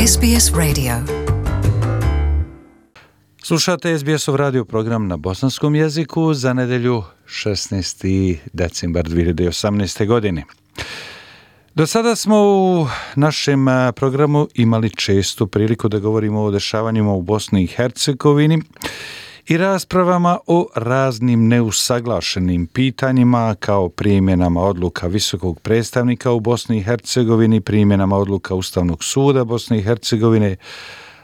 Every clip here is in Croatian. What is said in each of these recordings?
SBS Radio. Slušate SBS-ov radio program na bosanskom jeziku za nedjelju 16. decembar 2018. godine. Do sada smo u našem programu imali često priliku da govorimo o dešavanjima u Bosni i Hercegovini i raspravama o raznim neusaglašenim pitanjima kao primjenama odluka visokog predstavnika u Bosni i Hercegovini, primjenama odluka Ustavnog suda Bosne i Hercegovine,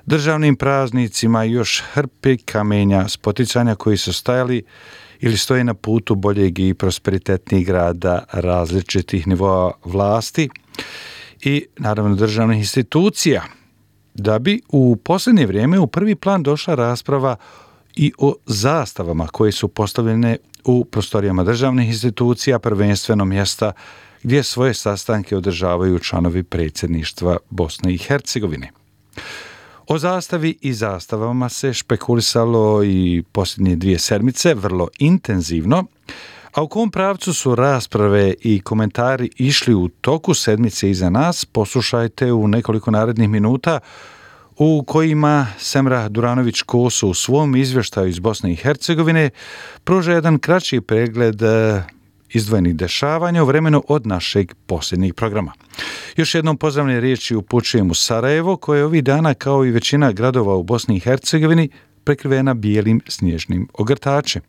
državnim praznicima i još hrpe kamenja spoticanja koji su stajali ili stoje na putu boljeg i prosperitetnijeg rada različitih nivoa vlasti i naravno državnih institucija, da bi u posljednje vrijeme u prvi plan došla rasprava i o zastavama koje su postavljene u prostorijama državnih institucija, prvenstveno mjesta gdje svoje sastanke održavaju članovi predsjedništva Bosne i Hercegovine. O zastavi i zastavama se špekulisalo i posljednje 2 sedmice vrlo intenzivno, a u kom pravcu su rasprave i komentari išli u toku sedmice iza nas, poslušajte u nekoliko narednih minuta u kojima Semra Duranović-Koso u svom izvještaju iz Bosne i Hercegovine pruža jedan kraći pregled izdvojenih dešavanja u vremenu od našeg posljednjeg programa. Još jednom pozdravne riječi upućujem u Sarajevo, koje je ovih dana, kao i većina gradova u Bosni i Hercegovini, prekrivena bijelim snježnim ogrtačem.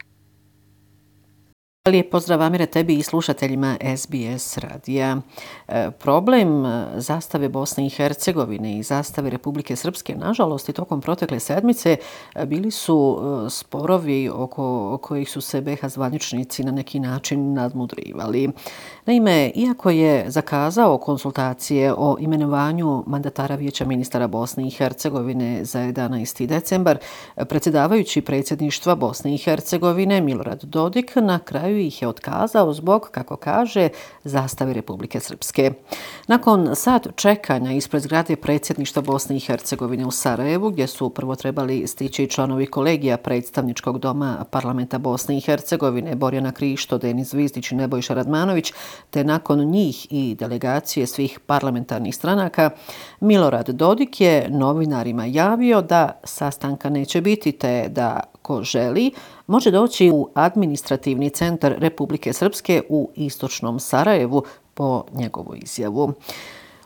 Lijep pozdrav, Amire, tebi i slušateljima SBS radija. Problem zastave Bosne i Hercegovine i zastave Republike Srpske, nažalost, i tokom protekle sedmice bili su sporovi oko kojih su se BiH zvaničnici na neki način nadmudrivali. Naime, iako je zakazao konsultacije o imenovanju mandatara Vijeća ministara Bosne i Hercegovine za 11. decembar, predsjedavajući predsjedništva Bosne i Hercegovine Milorad Dodik na kraju ih je otkazao zbog, kako kaže, zastave Republike Srpske. Nakon sat čekanja ispred zgrade predsjedništva Bosne i Hercegovine u Sarajevu, gdje su prvo trebali stići članovi kolegija predstavničkog doma parlamenta Bosne i Hercegovine Borjana Krišto, Denis Zvizdić i Nebojša Radmanović, te nakon njih i delegacije svih parlamentarnih stranaka, Milorad Dodik je novinarima javio da sastanka neće biti, te da ko želi može doći u administrativni centar Republike Srpske u istočnom Sarajevu po njegovu izjavu.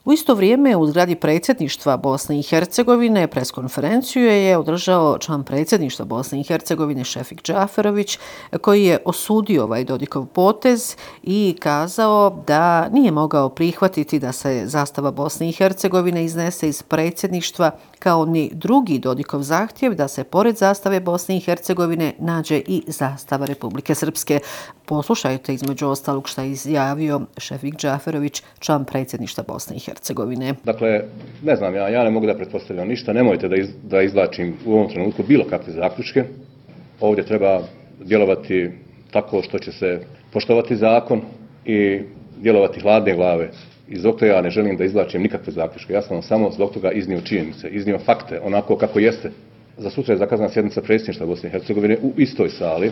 U isto vrijeme u zgradi predsjedništva Bosne i Hercegovine preskonferenciju je održao član predsjedništva Bosne i Hercegovine Šefik Džaferović, koji je osudio ovaj Dodikov potez i kazao da nije mogao prihvatiti da se zastava Bosne i Hercegovine iznese iz predsjedništva, kao ni drugi Dodikov zahtjev da se pored zastave Bosne i Hercegovine nađe i zastava Republike Srpske. Poslušajte između ostalog što je izjavio Šefik Džaferović, član predsjedništva Bosne i Hercegovine. Dakle, ne znam, ja ne mogu da pretpostavljam ništa, nemojte da izvlačim u ovom trenutku bilo kakve zaključke. Ovdje treba djelovati tako što će se poštovati zakon i djelovati hladne glave. I zbog toga ja ne želim da izvlačim nikakve zaključke. Ja sam vam samo zbog toga iznio činjenice, iznio fakte, onako kako jeste. Za sutra je zakazana sjednica predsjedništva Bosne i Hercegovine u istoj sali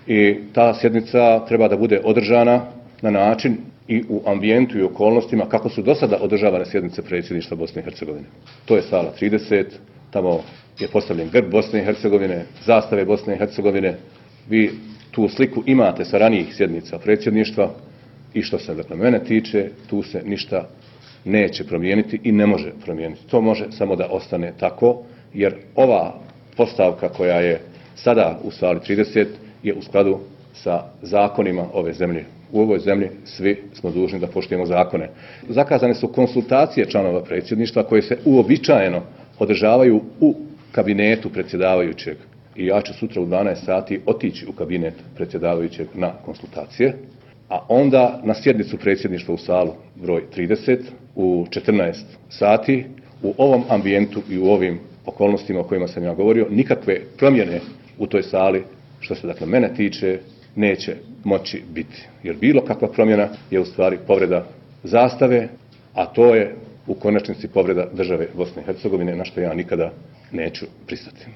i ta sjednica treba da bude održana na način i u ambijentu i okolnostima kako su do sada održavane sjednice predsjedništva Bosne i Hercegovine. To je sala 30, tamo je postavljen grb Bosne i Hercegovine, zastave Bosne i Hercegovine. Vi tu sliku imate sa ranijih sjednica predsjedništva i što se dakle mene tiče, tu se ništa neće promijeniti i ne može promijeniti. To može samo da ostane tako, jer ova postavka koja je sada u sali 30 je u skladu sa zakonima ove zemlje. U ovoj zemlji svi smo dužni da poštujemo zakone. Zakazane su konsultacije članova predsjedništva koje se uobičajeno održavaju u kabinetu predsjedavajućeg. I ja ću sutra u 12 sati otići u kabinet predsjedavajućeg na konsultacije, a onda na sjednicu predsjedništva u salu broj 30 u 14 sati u ovom ambijentu i u ovim okolnostima o kojima sam ja govorio, nikakve promjene u toj sali, što se dakle mene tiče, neće moći biti. Jer bilo kakva promjena je u stvari povreda zastave, a to je u konačnici povreda države Bosne i Hercegovine, na što ja nikada neću pristati.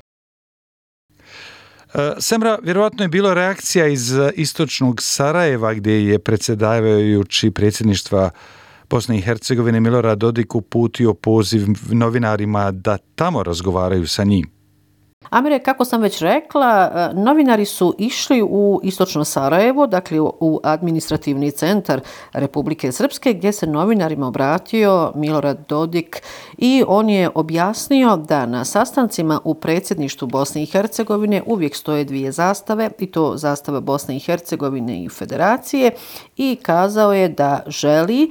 Semra, vjerovatno je bilo reakcija iz istočnog Sarajeva, gdje je predsjedavajući predsjedništva Bosne i Hercegovine Milorad Dodik uputio poziv novinarima da tamo razgovaraju sa njim. Amire, kako sam već rekla, novinari su išli u istočno Sarajevo, dakle u administrativni centar Republike Srpske, gdje se novinarima obratio Milorad Dodik i on je objasnio da na sastancima u predsjedništvu Bosne i Hercegovine uvijek stoje dvije zastave, i to zastava Bosne i Hercegovine i Federacije, i kazao je da želi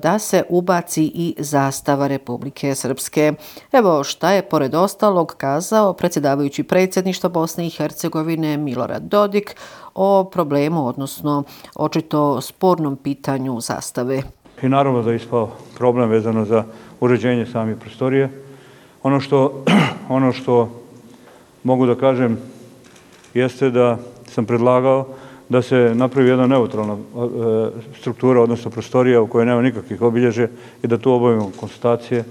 da se ubaci i zastava Republike Srpske. Evo šta je pored ostalog kazao predsjedavajući predsjedništva Bosne i Hercegovine Milorad Dodik o problemu, odnosno očito spornom pitanju zastave. I naravno da je ispao problem vezano za uređenje samih prostorije. Ono što mogu da kažem jeste da sam predlagao da se napravi jedna neutralna struktura, odnosno prostorija u kojoj nema nikakvih obilježja i da tu obavimo konstatacije.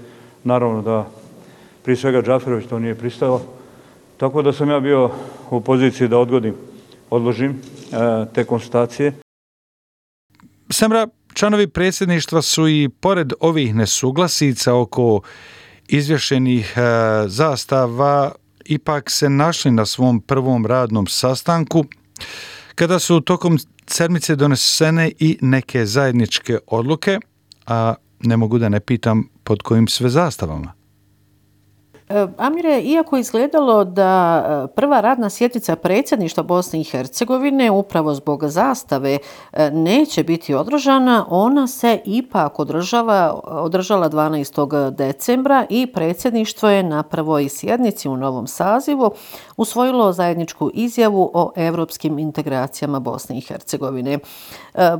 Naravno da prije svega Džaferović to nije pristao, tako da sam ja bio u poziciji da odložim te konstatacije. Samra, članovi predsjedništva su i pored ovih nesuglasica oko izvješenih zastava ipak se našli na svom prvom radnom sastanku kada su tokom sedmice donesene i neke zajedničke odluke, a ne mogu da ne pitam pod kojim sve zastavama. Amire, iako je izgledalo da prva radna sjednica predsjedništva Bosne i Hercegovine upravo zbog zastave neće biti održana, ona se ipak održala 12. decembra i predsjedništvo je na prvoj sjednici u novom sazivu usvojilo zajedničku izjavu o europskim integracijama Bosne i Hercegovine.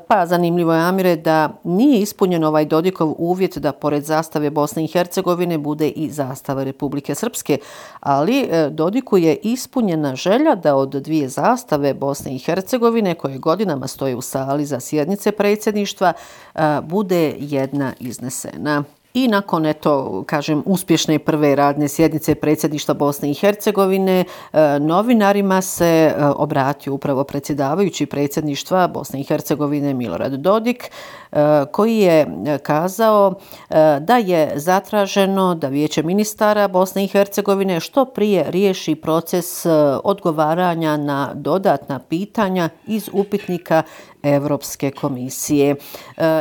Pa zanimljivo je, Amire, da nije ispunjen ovaj Dodikov uvjet da pored zastave Bosne i Hercegovine bude i zastava Republike Srpske, ali Dodiku je ispunjena želja da od dvije zastave Bosne i Hercegovine, koje godinama stoje u sali za sjednice predsjedništva, bude jedna iznesena. I nakon, uspješne prve radne sjednice predsjedništva Bosne i Hercegovine, novinarima se obratio upravo predsjedavajući predsjedništva Bosne i Hercegovine Milorad Dodik, koji je kazao da je zatraženo da Vijeće ministara Bosne i Hercegovine što prije riješi proces odgovaranja na dodatna pitanja iz upitnika Europske komisije.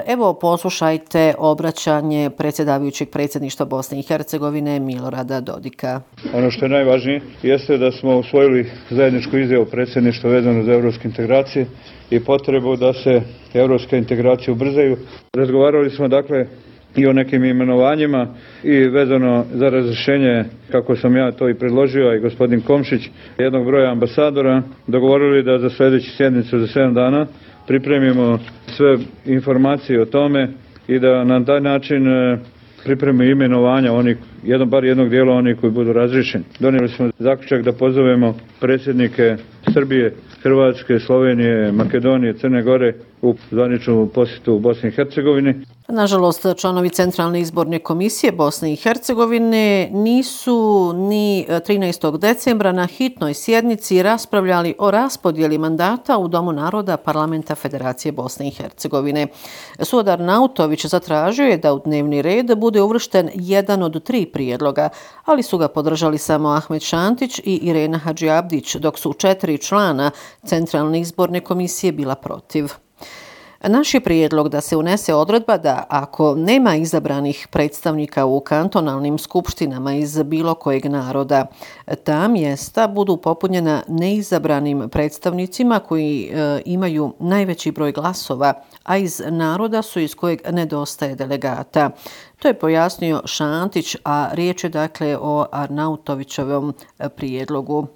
Evo, poslušajte obraćanje predsjedavajućeg predsjedništva Bosne i Hercegovine Milorada Dodika. Ono što je najvažnije jeste da smo usvojili zajedničku izjavu predsjedništva vezano za europske integracije i potrebu da se europske integracije ubrzaju. Razgovarali smo dakle i o nekim imenovanjima i vezano za razrješenje, kako sam ja to i predložio, a i gospodin Komšić, jednog broja ambasadora, dogovorili da za sljedeću sjednicu za 7 dana pripremimo sve informacije o tome i da na taj način pripremimo imenovanja bar jednog dijela onih koji budu razriješeni. Donijeli smo zaključak da pozovemo predsjednike Srbije, Hrvatske, Slovenije, Makedonije, Crne Gore u zvaničnu posjetu u Bosni i Hercegovini. Nažalost, članovi Centralne izborne komisije Bosne i Hercegovine nisu ni 13. decembra na hitnoj sjednici raspravljali o raspodjeli mandata u Domu naroda Parlamenta Federacije Bosne i Hercegovine. Suodar Nautović zatražio je da u dnevni red bude uvršten jedan od 3 prijedloga, ali su ga podržali samo Ahmet Šantić i Irena Hadžiabdić, dok su 4 člana Centralne izborne komisije bila protiv. Naš je prijedlog da se unese odredba da ako nema izabranih predstavnika u kantonalnim skupštinama iz bilo kojeg naroda, ta mjesta budu popunjena neizabranim predstavnicima koji imaju najveći broj glasova, a iz naroda su iz kojeg nedostaje delegata. To je pojasnio Šantić, a riječ je dakle o Arnautovićevom prijedlogu.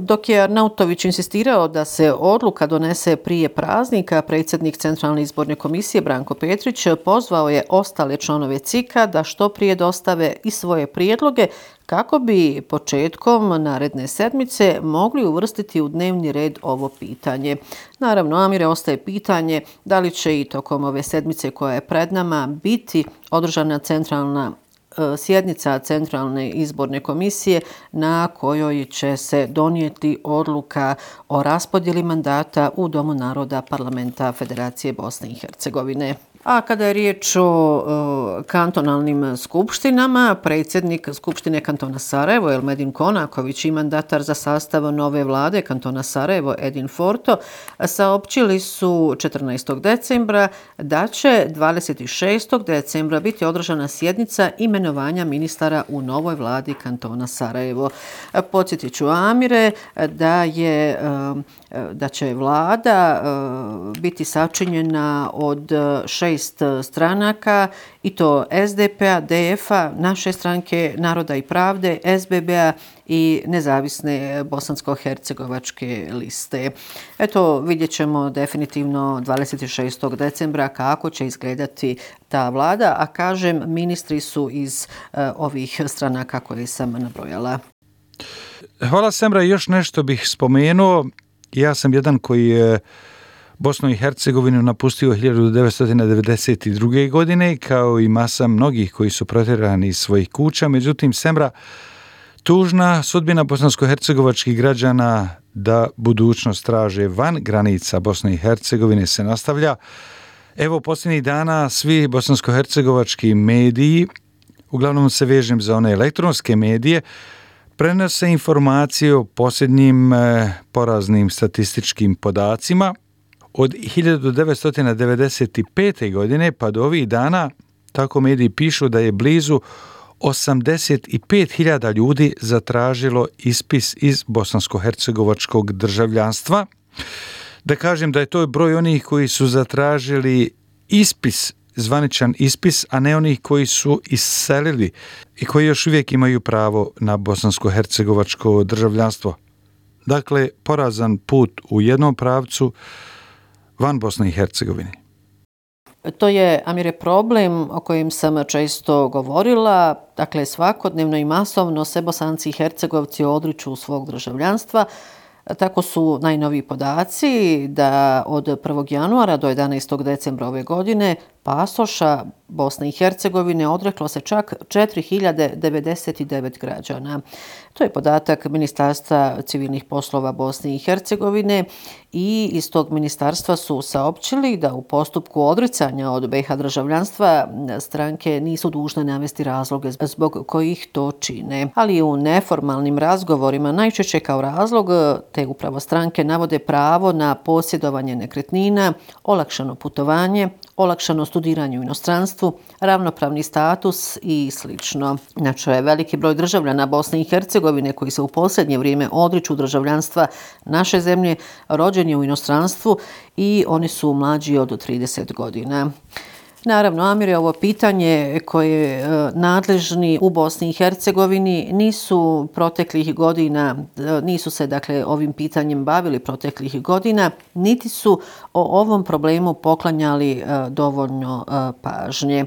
Dok je Arnautović insistirao da se odluka donese prije praznika, predsjednik Centralne izborne komisije Branko Petrić pozvao je ostale članove CIK-a da što prije dostave i svoje prijedloge kako bi početkom naredne sedmice mogli uvrstiti u dnevni red ovo pitanje. Naravno, Amire, ostaje pitanje da li će i tokom ove sedmice koja je pred nama biti održana sjednica Centralne izborne komisije na kojoj će se donijeti odluka o raspodjeli mandata u Domu naroda Parlamenta Federacije Bosne i Hercegovine. A kada je riječ o kantonalnim skupštinama, predsjednik Skupštine kantona Sarajevo, Elmedin Konaković, i mandatar za sastav nove vlade kantona Sarajevo, Edin Forto, saopćili su 14. decembra da će 26. decembra biti održana sjednica imenovanja ministara u novoj vladi kantona Sarajevo. Podsjetit ću, Amire, da će vlada biti sačinjena od 6 stranaka, i to SDP-a, DF-a, naše stranke Naroda i pravde, SBB-a i nezavisne bosansko-hercegovačke liste. Eto, vidjet ćemo definitivno 26. decembra kako će izgledati ta vlada, a kažem, ministri su iz ovih stranaka koje sam nabrojala. Hvala, Semra. Još nešto bih spomenuo. Ja sam jedan koji je Bosnu i Hercegovinu napustio 1992. godine, kao i masa mnogih koji su protjerani iz svojih kuća. Međutim, Semra, tužna sudbina bosansko-hercegovačkih građana da budućnost traže van granica Bosne i Hercegovine se nastavlja. Evo, posljednjih dana svi bosansko-hercegovački mediji, uglavnom se vežem za one elektronske medije, prenose informacije o posljednjim poraznim statističkim podacima. Od 1995. godine pa do ovih dana, tako mediji pišu, da je blizu 85.000 ljudi zatražilo ispis iz bosansko-hercegovačkog državljanstva. Da kažem da je to broj onih koji su zatražili ispis, zvaničan ispis, a ne onih koji su iselili i koji još uvijek imaju pravo na bosansko-hercegovačko državljanstvo. Dakle, porazan put u jednom pravcu van Bosne i Hercegovine. To je, Amire, problem o kojem sam često govorila. Dakle, svakodnevno i masovno se Bosanci i Hercegovci odriču svog državljanstva. Tako su najnoviji podaci da od 1. januara do 11. decembra ove godine pasoša Bosne i Hercegovine odreklo se čak 4099 građana. To je podatak Ministarstva civilnih poslova Bosne i Hercegovine, i iz tog ministarstva su saopćili da u postupku odricanja od BiH državljanstva stranke nisu dužne navesti razloge zbog kojih to čine. Ali u neformalnim razgovorima najčešće kao razlog te upravo stranke navode pravo na posjedovanje nekretnina, olakšano putovanje, olakšano studiranje u inostranstvu, ravnopravni status i slično. Znači, veliki broj državljana Bosne i Hercegovine koji se u posljednje vrijeme odriču državljanstva naše zemlje rođen je u inostranstvu i oni su mlađi od 30 godina. Naravno, Amire, ovo pitanje koje nadležni u Bosni i Hercegovini nisu proteklih godina, nisu se dakle ovim pitanjem bavili proteklih godina, niti su o ovom problemu poklanjali dovoljno pažnje.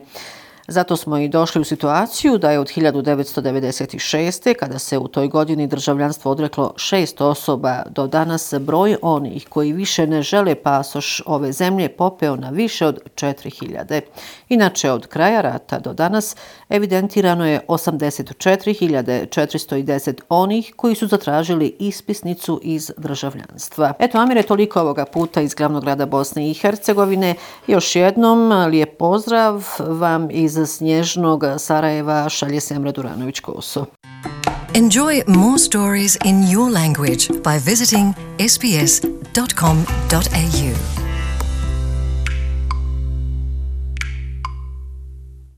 Zato smo i došli u situaciju da je od 1996. kada se u toj godini državljanstvo odreklo 6 osoba, do danas broj onih koji više ne žele pasoš ove zemlje popeo na više od 4000. Inače, od kraja rata do danas evidentirano je 84.410 onih koji su zatražili ispisnicu iz državljanstva. Eto, Amire, toliko ovoga puta iz glavnog grada Bosne i Hercegovine. Još jednom lijep pozdrav vam iz snježnog Sarajeva, šalje Semra Duranović-Koso. Enjoy more stories in your language by visiting sbs.com.au.